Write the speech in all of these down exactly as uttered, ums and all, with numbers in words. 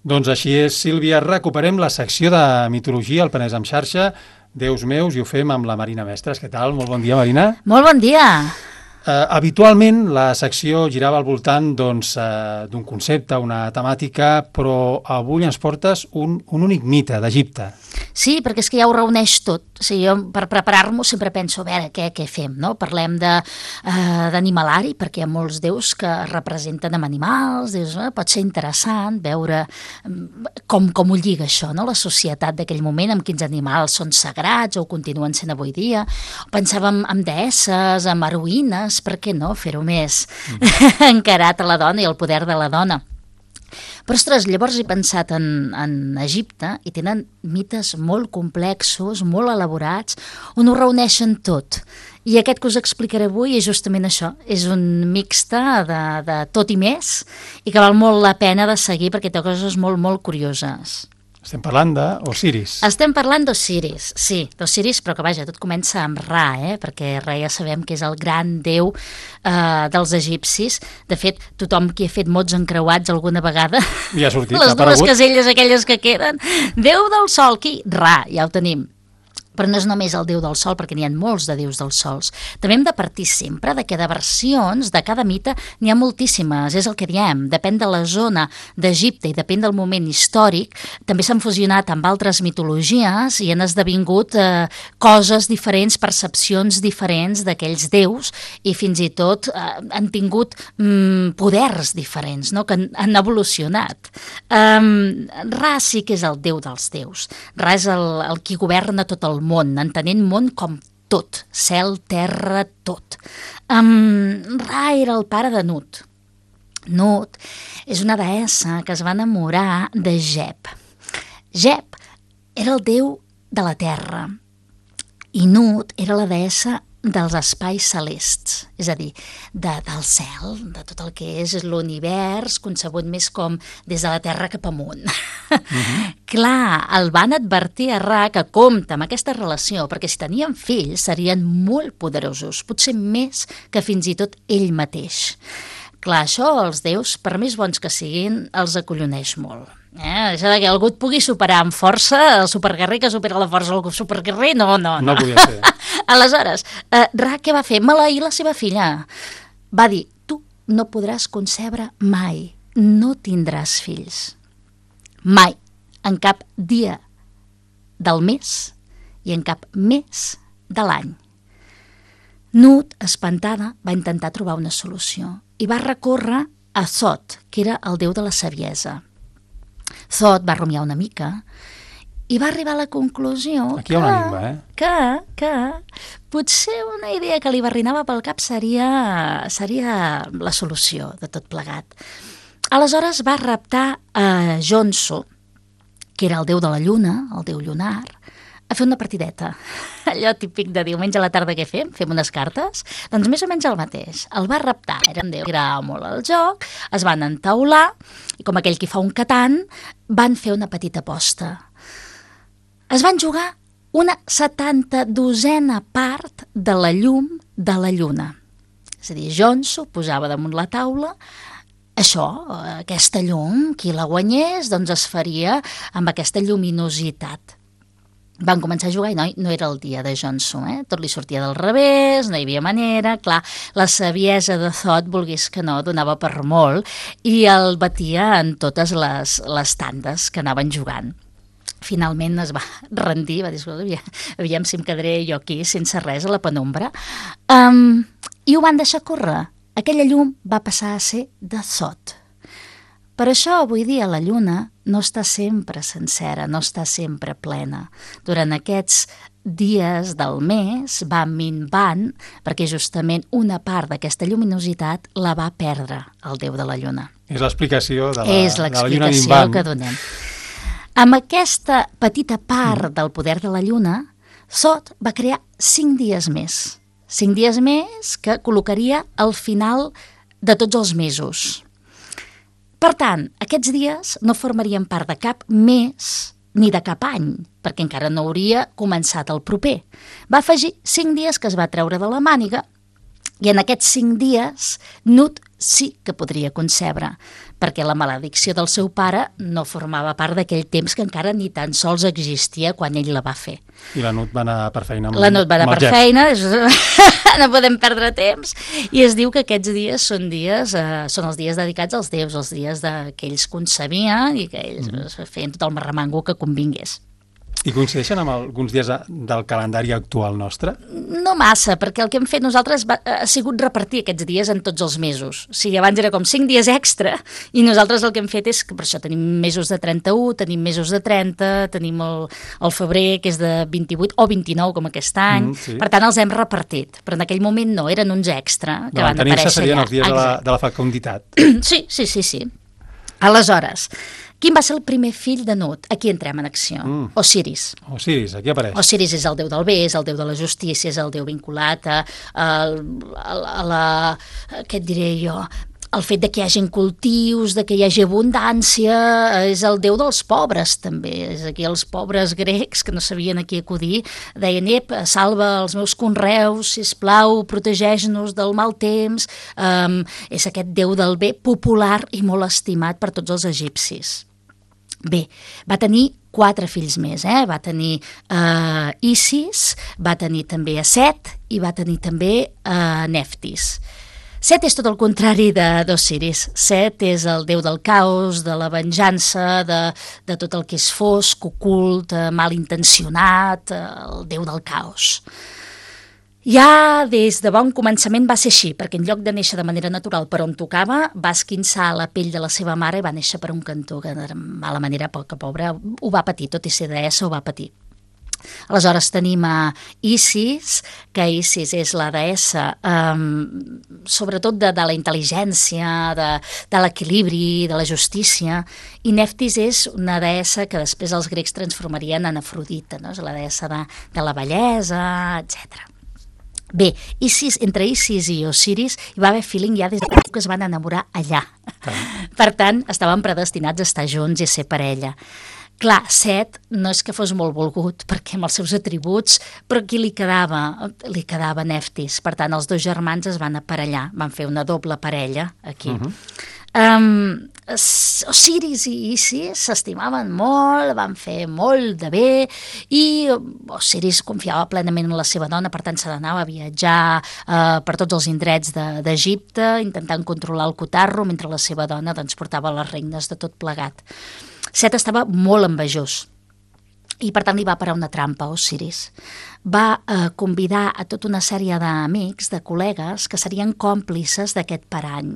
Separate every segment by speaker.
Speaker 1: Doncs així és, Sílvia. Recuperem la secció de mitologia al Penedès en xarxa, Déus meus, i ho fem amb la Marina Mestres. Què tal? Molt bon dia, Marina.
Speaker 2: Molt bon dia.
Speaker 1: Uh, habitualment la secció girava al voltant doncs, uh, d'un concepte, una temàtica, però avui ens portes un, un únic mite d'Egipte.
Speaker 2: Sí, perquè és que ja ho reuneix tot. O sigui, jo per preparar-m'ho sempre penso, a veure, què, què fem, no? Parlem d'animalari, uh, perquè hi ha molts déus que es representen amb animals, dius, eh, pot ser interessant veure com, com ho lliga això, no? La societat d'aquell moment, amb quins animals són sagrats o ho continuen sent avui dia. Pensàvem en deesses, en heroïnes, per què no fer-ho més mm. encarat a la dona i el poder de la dona. Però, ostres, llavors he pensat en, en Egipte i tenen mites molt complexos, molt elaborats, on ho reuneixen tot. I aquest que us explicaré avui és justament això, és un mixte de, de tot i més i que val molt la pena de seguir perquè té coses molt, molt curioses.
Speaker 1: Estem parlant d'Osiris.
Speaker 2: Estem parlant d'Osiris, sí, d'Osiris, però que vaja, tot comença amb Ra, eh? Perquè Ra ja sabem que és el gran déu eh, dels egipcis. De fet, tothom qui ha fet mots encreuats alguna vegada,
Speaker 1: ja ha sortit,
Speaker 2: les
Speaker 1: ha
Speaker 2: dues
Speaker 1: aparegut.
Speaker 2: caselles aquelles que queden, déu del sol, qui? Ra, ja ho tenim. Però no és només el déu del sol, perquè n'hi ha molts de déus dels sols. També hem de partir sempre de que de versions de cada mite n'hi ha moltíssimes, és el que diem, depèn de la zona d'Egipte i depèn del moment històric, també s'han fusionat amb altres mitologies i han esdevingut eh, coses diferents, percepcions diferents d'aquells déus i fins i tot eh, han tingut mm, poders diferents, no? Que han, han evolucionat. Um, Ra sí que és el déu dels déus, Ra és el, el qui governa tot el món, entenent món com tot, cel, terra, tot. Um, Ra era el pare de Nut. Nut és una deessa que es va enamorar de Geb. Geb era el déu de la terra i Nut era la deessa dels espais celests, és a dir, de, del cel, de tot el que és l'univers, concebut més com des de la Terra cap amunt. Uh-huh. Clar, el van advertir a Ra que compta amb aquesta relació, perquè si tenien fills serien molt poderosos, potser més que fins i tot ell mateix. Clar, això els déus, per més bons que siguin, els acolloneix molt. Eh? Això de que algú et pugui superar amb força, el superguerrer que supera la força del superguerrer, no, no, no.
Speaker 1: No podia ser.
Speaker 2: Aleshores, eh, Ra què va fer? Maleir la seva filla. Va dir, tu no podràs concebre mai, no tindràs fills. Mai, en cap dia del mes i en cap mes de l'any. Nut, espantada, va intentar trobar una solució i va recórrer a Thot, que era el déu de la saviesa. Thot va rumiar una mica i va arribar a la conclusió
Speaker 1: Aquí hi ha
Speaker 2: que,
Speaker 1: una enigma, eh?
Speaker 2: que, que potser una idea que li barrinava pel cap seria, seria la solució de tot plegat. Aleshores va raptar a Jonso, que era el déu de la lluna, el déu lunar, a fer una partideta. Allò típic de diumenge a la tarda què fem? Fem unes cartes? Doncs més o menys el mateix. El va raptar, era un déu, era molt al joc, es van entaular i com aquell qui fa un catan, van fer una petita aposta. Es van jugar una setanta-dosena part de la llum de la lluna. És a dir, Jonso posava damunt la taula això, aquesta llum, qui la guanyés, doncs es faria amb aquesta lluminositat. Van començar a jugar i no, no era el dia de Jonso, eh? Tot li sortia del revés, no hi havia manera, clar, la saviesa de Thot, volgués que no, donava per molt i el batia en totes les, les tandes que anaven jugant. Finalment es va rendir, va dir, aviam, aviam si em quedaré jo aquí sense res a la penombra, um, i ho van deixar córrer. Aquella llum va passar a ser de Thot. Per això avui dia la lluna no està sempre sencera, no està sempre plena. Durant aquests dies del mes va minvant perquè justament una part d'aquesta lluminositat la va perdre el déu de la lluna.
Speaker 1: És l'explicació de, la,
Speaker 2: És
Speaker 1: de la lluna
Speaker 2: l'explicació
Speaker 1: minvant.
Speaker 2: que donem. Amb aquesta petita part del poder de la lluna, Thot va crear cinc dies més. Cinc dies més que col·locaria al final de tots els mesos. Per tant, aquests dies no formarien part de cap mes ni de cap any, perquè encara no hauria començat el proper. Va afegir cinc dies que es va treure de la màniga I en aquests cinc dies, Nut sí que podria concebre, perquè la maledicció del seu pare no formava part d'aquell temps que encara ni tan sols existia quan ell la va fer.
Speaker 1: I la Nut va anar per feina amb,
Speaker 2: la Nut va anar per
Speaker 1: Jeff.
Speaker 2: feina, no podem perdre temps, i es diu que aquests dies són dies, eh, són els dies dedicats als déus, els dies de, que ells concebien i que ells mm-hmm. feien tot el marremango que convingués.
Speaker 1: I coincideixen amb alguns dies del calendari actual nostre?
Speaker 2: No massa, perquè el que hem fet nosaltres va, ha sigut repartir aquests dies en tots els mesos. O sigui, abans era com cinc dies extra, i nosaltres el que hem fet és que per això tenim mesos de trenta-u, tenim mesos de trenta, tenim el, el febrer, que és de vint-i-vuit o vint-i-nou, com aquest any. Mm, sí. Per tant, els hem repartit. Però en aquell moment no, eren uns extra que no, van aparèixer allà.
Speaker 1: Serien els dies de la, de la fecunditat.
Speaker 2: Sí, sí, sí, sí. Aleshores, quin va ser el primer fill de Nut? Aquí entrem en acció. Mm. Osiris.
Speaker 1: Osiris, aquí apareix.
Speaker 2: Osiris és el déu del bé, és el déu de la justícia, és el déu vinculat a, a, a, a la... què et diré jo? El fet de que hi hagi cultius, de que hi hagi abundància, és el déu dels pobres, també. És aquí els pobres grecs que no sabien a qui acudir, deien, ep, salva els meus conreus, sisplau, protegeix-nos del mal temps. Um, és aquest déu del bé popular i molt estimat per tots els egipcis. Bé, va tenir quatre fills més, eh? Va tenir uh, Isis, va tenir també a Set i va tenir també a uh, Neftis. Set és tot el contrari d'Osiris. Set és el déu del caos, de la venjança, de, de tot el que és fosc, ocult, malintencionat, el déu del caos. Ja des de bon començament va ser així, perquè en lloc de néixer de manera natural per on tocava, va esquinçar la pell de la seva mare i va néixer per un cantó, que de mala manera, poca pobra, ho va patir, tot i ser deessa ho va patir. Aleshores tenim a Isis, que Isis és la deessa um, sobretot de, de la intel·ligència, de, de l'equilibri, de la justícia, i Neftis és una deessa que després els grecs transformarien en Afrodita, no? És la deessa de, de la bellesa, etcètera. Bé, Isis, entre Isis i Osiris hi va haver feeling ja des que es van enamorar allà. Ah. Per tant, estaven predestinats a estar junts i a ser parella. Clar, Set no és que fos molt volgut, perquè amb els seus atributs, però qui li quedava? Li quedava Neftis. Per tant, els dos germans es van aparellar, van fer una doble parella aquí. Uh-huh. um, Osiris i Isis s'estimaven molt, van fer molt de bé, i Osiris confiava plenament en la seva dona, per tant se n'anava a viatjar uh, per tots els indrets d'Egipte, intentant controlar el cotarro, mentre la seva dona doncs, portava les regnes de tot plegat. Set estava molt envejós i per tant li va parar una trampa a Osiris. Va eh, convidar a tota una sèrie d'amics, de col·legues, que serien còmplices d'aquest parany.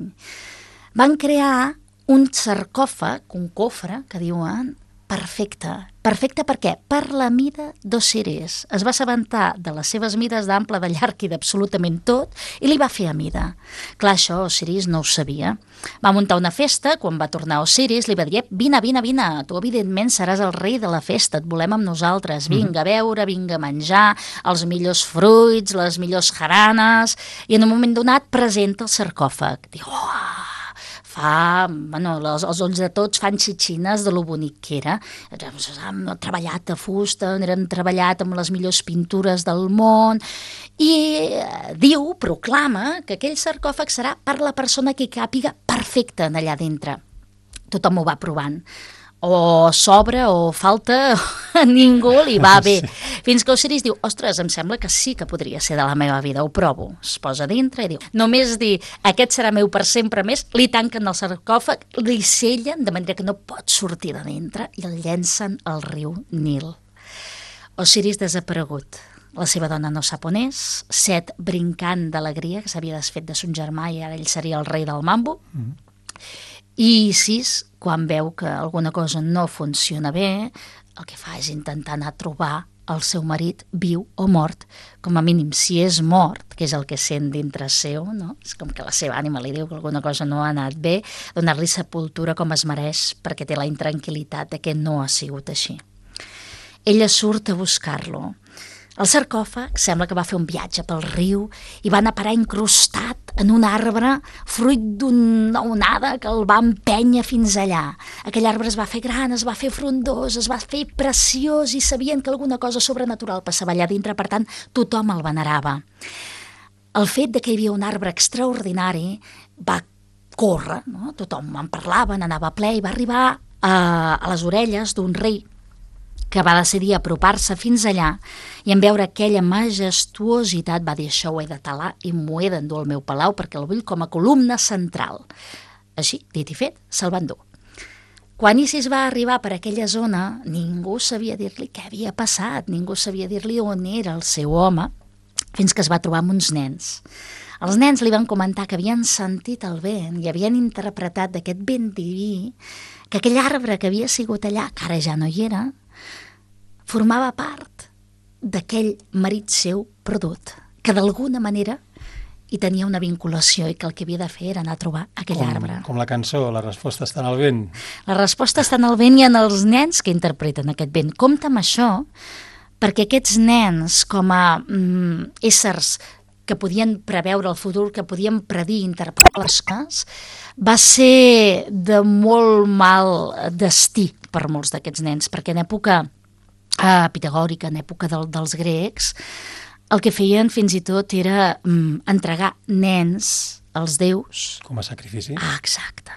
Speaker 2: Van crear un sarcòfag, un cofre, que diuen, perfecte. Perfecte per què? Per la mida d'Osiris. Es va assabentar de les seves mides d'ample, de llarg i d'absolutament tot i li va fer a mida. Clar, això Osiris no ho sabia. Va muntar una festa, quan va tornar Osiris li va dir, vine, vine, vine, tu evidentment seràs el rei de la festa, et volem amb nosaltres, vinga a beure, vinga a menjar, els millors fruits, les millors jaranes, i en un moment donat presenta el sarcòfag. Diu, oh, fa, bueno, els, els ulls de tots fan xitxines de lo bonic que era. Hem treballat a fusta, eren treballat amb les millors pintures del món, i eh, diu, proclama, que aquell sarcòfag serà per la persona que hi càpiga perfecte en allà dintre. Tothom ho va provant. O sobra o falta, a ningú li va bé. Sí. Fins que Osiris diu, ostres, em sembla que sí que podria ser de la meva vida, ho provo. Es posa dintre i diu, només dir, aquest serà meu per sempre més, li tanquen el sarcòfag, li sellen, de manera que no pot sortir de dintre, i el llencen al riu Nil. Osiris desaparegut. La seva dona no sap on és, Set brincant d'alegria, que s'havia desfet de son germà i ara ell seria el rei del mambo, mm. I Isis, quan veu que alguna cosa no funciona bé, el que fa és intentar anar a trobar el seu marit viu o mort, com a mínim si és mort, que és el que sent dintre seu, no? És com que la seva ànima li diu que alguna cosa no ha anat bé, donar-li sepultura com es mereix, perquè té la intranquil·litat de que no ha sigut així. Ella surt a buscar-lo. El sarcòfag sembla que va fer un viatge pel riu i va anar a parar incrustat en un arbre fruit d'una onada que el va empènyer fins allà. Aquell arbre es va fer gran, es va fer frondós, es va fer preciós i sabien que alguna cosa sobrenatural passava allà dintre, per tant tothom el venerava. el fet de que hi havia un arbre extraordinari va córrer, no? Tothom en parlava, n'anava ple, i va arribar a, a les orelles d'un rei que va decidir apropar-se fins allà i en veure aquella majestuositat va dir: això ho he de talar i m'ho he d'endur al meu palau perquè el vull com a columna central. Així, dit i fet, se'l va endur. Quan Isis va arribar per aquella zona, ningú sabia dir-li què havia passat, ningú sabia dir-li on era el seu home, fins que es va trobar amb uns nens. Els nens li van comentar que havien sentit el vent i havien interpretat d'aquest vent diví que aquell arbre que havia sigut allà, que ara ja no hi era, formava part d'aquell marit seu perdut, que d'alguna manera hi tenia una vinculació i que el que havia de fer era anar a trobar aquell
Speaker 1: com,
Speaker 2: arbre.
Speaker 1: Com la cançó, la resposta està en el vent.
Speaker 2: La resposta està en el vent i en els nens que interpreten aquest vent. Compte amb això, perquè aquests nens, com a mm, éssers que podien preveure el futur, que podien predir, interpretar les coses, va ser de molt mal destí per molts d'aquests nens, perquè en època eh, pitagòrica, en època del, dels grecs, el que feien fins i tot era mm, entregar nens als déus.
Speaker 1: Com a sacrifici.
Speaker 2: Ah, exacte.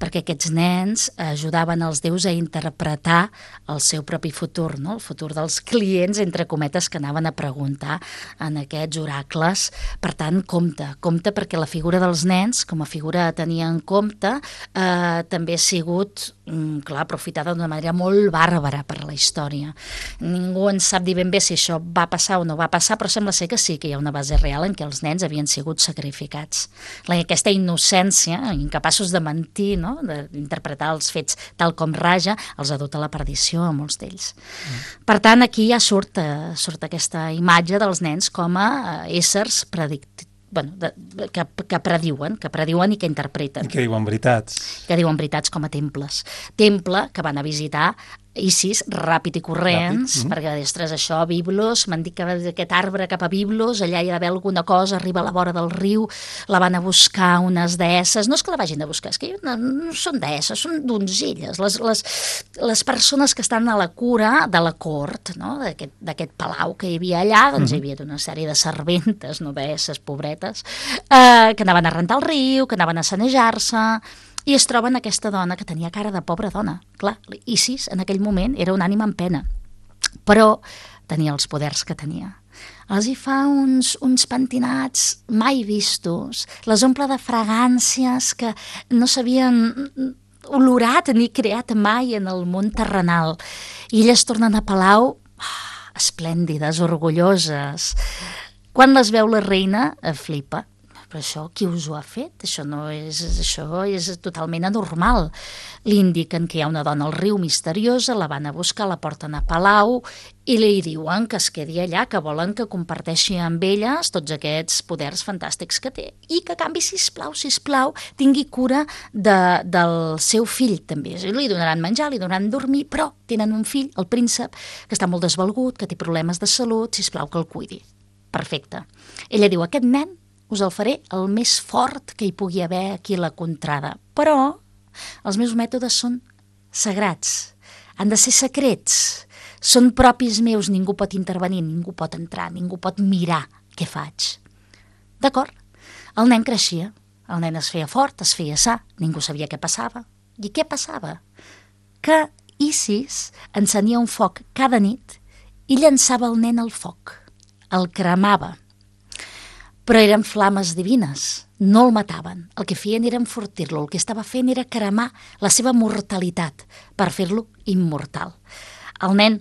Speaker 2: Perquè aquests nens ajudaven els déus a interpretar el seu propi futur, no? El futur dels clients, entre cometes, que anaven a preguntar en aquests oracles. Per tant, compte, compte perquè la figura dels nens, com a figura a tenir en compte, eh, també ha sigut, mm, clar, aprofitada d'una manera molt bàrbara per la història. Ningú en sap dir ben bé si això va passar o no va passar, però sembla ser que sí que hi ha una base real en què els nens havien sigut sacrificats. La, aquesta innocència, incapaços de mentir, no? D'interpretar els fets tal com raja, els ha dut a la perdició a molts d'ells. Mm. Per tant, aquí ja surt, eh, surt aquesta imatge dels nens com a eh, éssers predictius. Bueno, de, de, que, que prediuen, que prediuen i que interpreten.
Speaker 1: I que diuen veritats.
Speaker 2: Que diuen veritats com a temples. Temple que van a visitar Isis, ràpid i corrents, ràpid. Mm. perquè, ostres, això, Biblos, m'han dit que aquest arbre cap a Biblos, allà hi ha d'haver alguna cosa, arriba a la vora del riu, la van a buscar unes deesses, no és que la vagin a buscar, és que no, no són deesses, són donzelles, les, les, les persones que estan a la cura de la cort, no? d'aquest palau que hi havia allà, doncs mm. hi havia una sèrie de serventes, no deesses, pobretes, eh, que anaven a rentar el riu, que anaven a sanejar-se, i es troben aquesta dona que tenia cara de pobra dona. Clar, Isis en aquell moment era una ànima en pena, però tenia els poders que tenia. Els hi fa uns, uns pentinats mai vistos, les omple de fragàncies que no s'havien olorat ni creat mai en el món terrenal. I elles tornen a palau oh, esplèndides, orgulloses. Quan les veu la reina, flipa. Però això, qui us ho ha fet? Això no és, això és totalment anormal. Li indiquen que hi ha una dona al riu misteriosa, la van a buscar, la porten a palau i li diuen que es quedi allà, que volen que comparteixi amb elles tots aquests poders fantàstics que té i que a canvi, sisplau, sisplau, tingui cura de, del seu fill també. Li donaran menjar, li donaran dormir, però tenen un fill, el príncep, que està molt desvalgut, que té problemes de salut, sisplau, que el cuidi. Perfecte. Ella diu, aquest nen us el faré el més fort que hi pugui haver aquí a la contrada. Però els meus mètodes són sagrats, han de ser secrets, són propis meus, ningú pot intervenir, ningú pot entrar, ningú pot mirar què faig. D'acord? El nen creixia, el nen es feia fort, es feia sa, ningú sabia què passava. I què passava? Que Isis encenia un foc cada nit i llançava el nen al foc, el cremava. Però eren flames divines, no el mataven. El que feien era enfortir-lo, el que estava fent era cremar la seva mortalitat per fer-lo immortal. El nen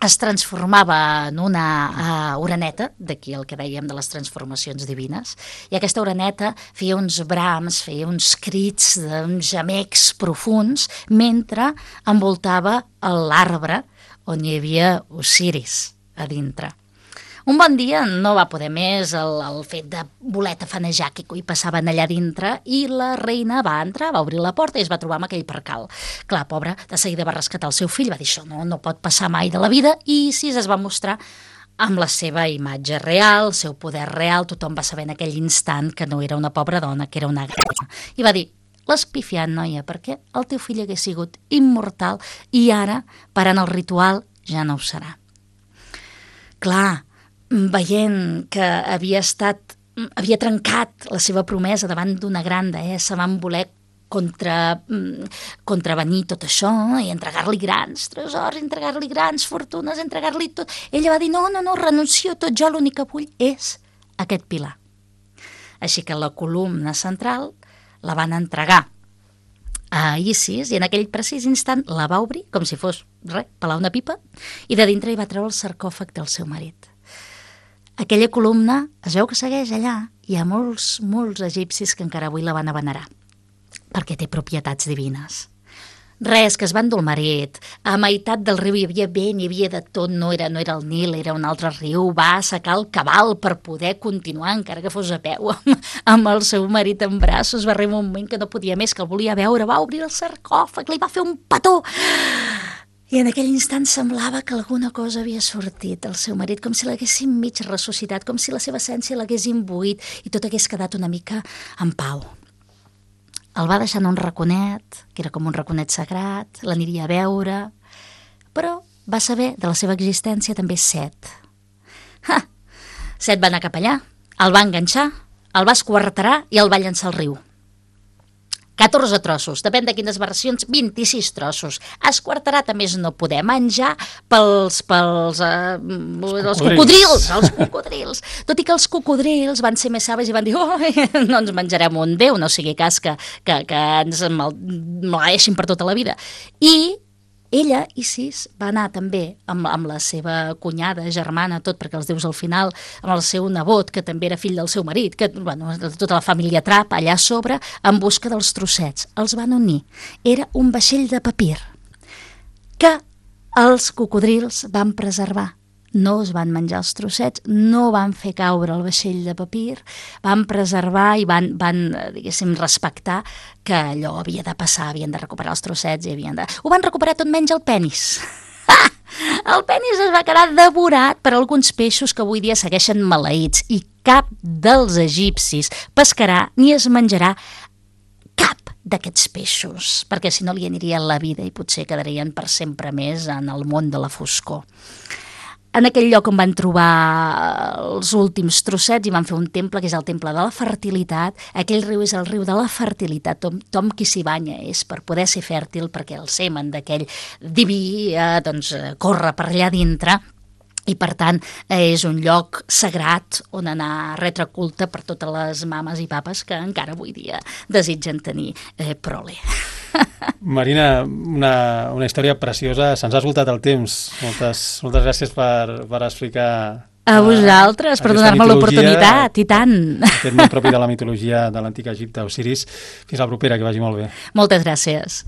Speaker 2: es transformava en una uh, oreneta, d'aquí el que dèiem de les transformacions divines, i aquesta oreneta feia uns brams, feia uns crits, uns gemecs profuns, mentre envoltava l'arbre on hi havia Osiris a dintre. Un bon dia no va poder més el, el fet de voler tafanejar que hi passaven allà dintre i la reina va entrar, va obrir la porta i es va trobar amb aquell percal. Clar, pobra, de seguida va rescatar el seu fill, va dir això no, no pot passar mai de la vida i Isis es va mostrar amb la seva imatge real, el seu poder real, tothom va saber en aquell instant que no era una pobra dona, que era una gran. I va dir, l'has pifiat, noia, perquè el teu fill hagués sigut immortal i ara, parant el ritual, ja no ho serà. Clar, veient que havia estat havia trencat la seva promesa davant d'una gran deessa, van voler contra, contravenir tot això i entregar-li grans tresors, entregar-li grans fortunes, entregar-li tot. Ella va dir, no, no, no, renuncio a tot, jo l'únic que vull és aquest pilar. Així que la columna central la van entregar a Isis i en aquell precís instant la va obrir, com si fos, res, pelar una pipa, i de dintre hi va treure el sarcòfag del seu marit. Aquella columna, es veu que segueix allà, hi ha molts, molts egipcis que encara avui la van a venerar, perquè té propietats divines. Res, que es va endur el marit. A meitat del riu hi havia vent, hi havia de tot, no era, no era el Nil, era un altre riu, va assecar el cabal per poder continuar, encara que fos a peu, amb el seu marit en braços, va arribar un moment que no podia més, que el volia veure, va obrir el sarcòfag, li va fer un petó, i en aquell instant semblava que alguna cosa havia sortit del seu marit, com si l'haguessin mig ressuscitat, com si la seva essència l'hagués imbuït i tot hagués quedat una mica en pau. El va deixar en un raconet, que era com un raconet sagrat, l'aniria a veure, però va saber de la seva existència també Set. Ha! Set va anar cap allà, el va enganxar, el va esquarterar i el va llançar al riu. catorze trossos, depèn de quines versions, vint-i-sis trossos. Esquarterat, a més, no poder menjar pels, pels eh, els cocodrils, els cocodrils. Tot i que els cocodrils van ser més savis i van dir, oh, no ens menjarem un déu, no sigui cas que, que, que ens maleeixin per tota la vida. I ella, Isis, va anar també amb, amb la seva cunyada, germana, tot, perquè els déus al final, amb el seu nebot, que també era fill del seu marit, que, bueno, tota la família Trap allà a sobre, en busca dels trossets. Els van unir. Era un vaixell de papir que els cocodrils van preservar. No es van menjar els trossets, no van fer caure el vaixell de papir, van preservar i van, van diguéssim, respectar que allò havia de passar, havien de recuperar els trossets i havien de... Ho van recuperar tot menys el penis. El penis es va quedar devorat per alguns peixos que avui dia segueixen maleïts i cap dels egipcis pescarà ni es menjarà cap d'aquests peixos, perquè si no li aniria la vida i potser quedarien per sempre més en el món de la foscor. En aquell lloc on van trobar els últims trossets i van fer un temple, que és el temple de la fertilitat. Aquell riu és el riu de la fertilitat. Tom, Tom qui s'hi banya és per poder ser fèrtil, perquè el semen d'aquell diví eh, doncs, corre per allà dintre. I, per tant, eh, és un lloc sagrat on anar a retre culte per totes les mames i papes que encara avui dia desitgen tenir eh, prole.
Speaker 1: Marina, una, una història preciosa. Se'ns ha esgotat el temps. Moltes, moltes gràcies per, per explicar...
Speaker 2: A vosaltres, per donar-me l'oportunitat, i tant.
Speaker 1: Aquest món propi de la mitologia de l'antic Egipte, Osiris. Fins la propera, que vagi molt bé.
Speaker 2: Moltes gràcies.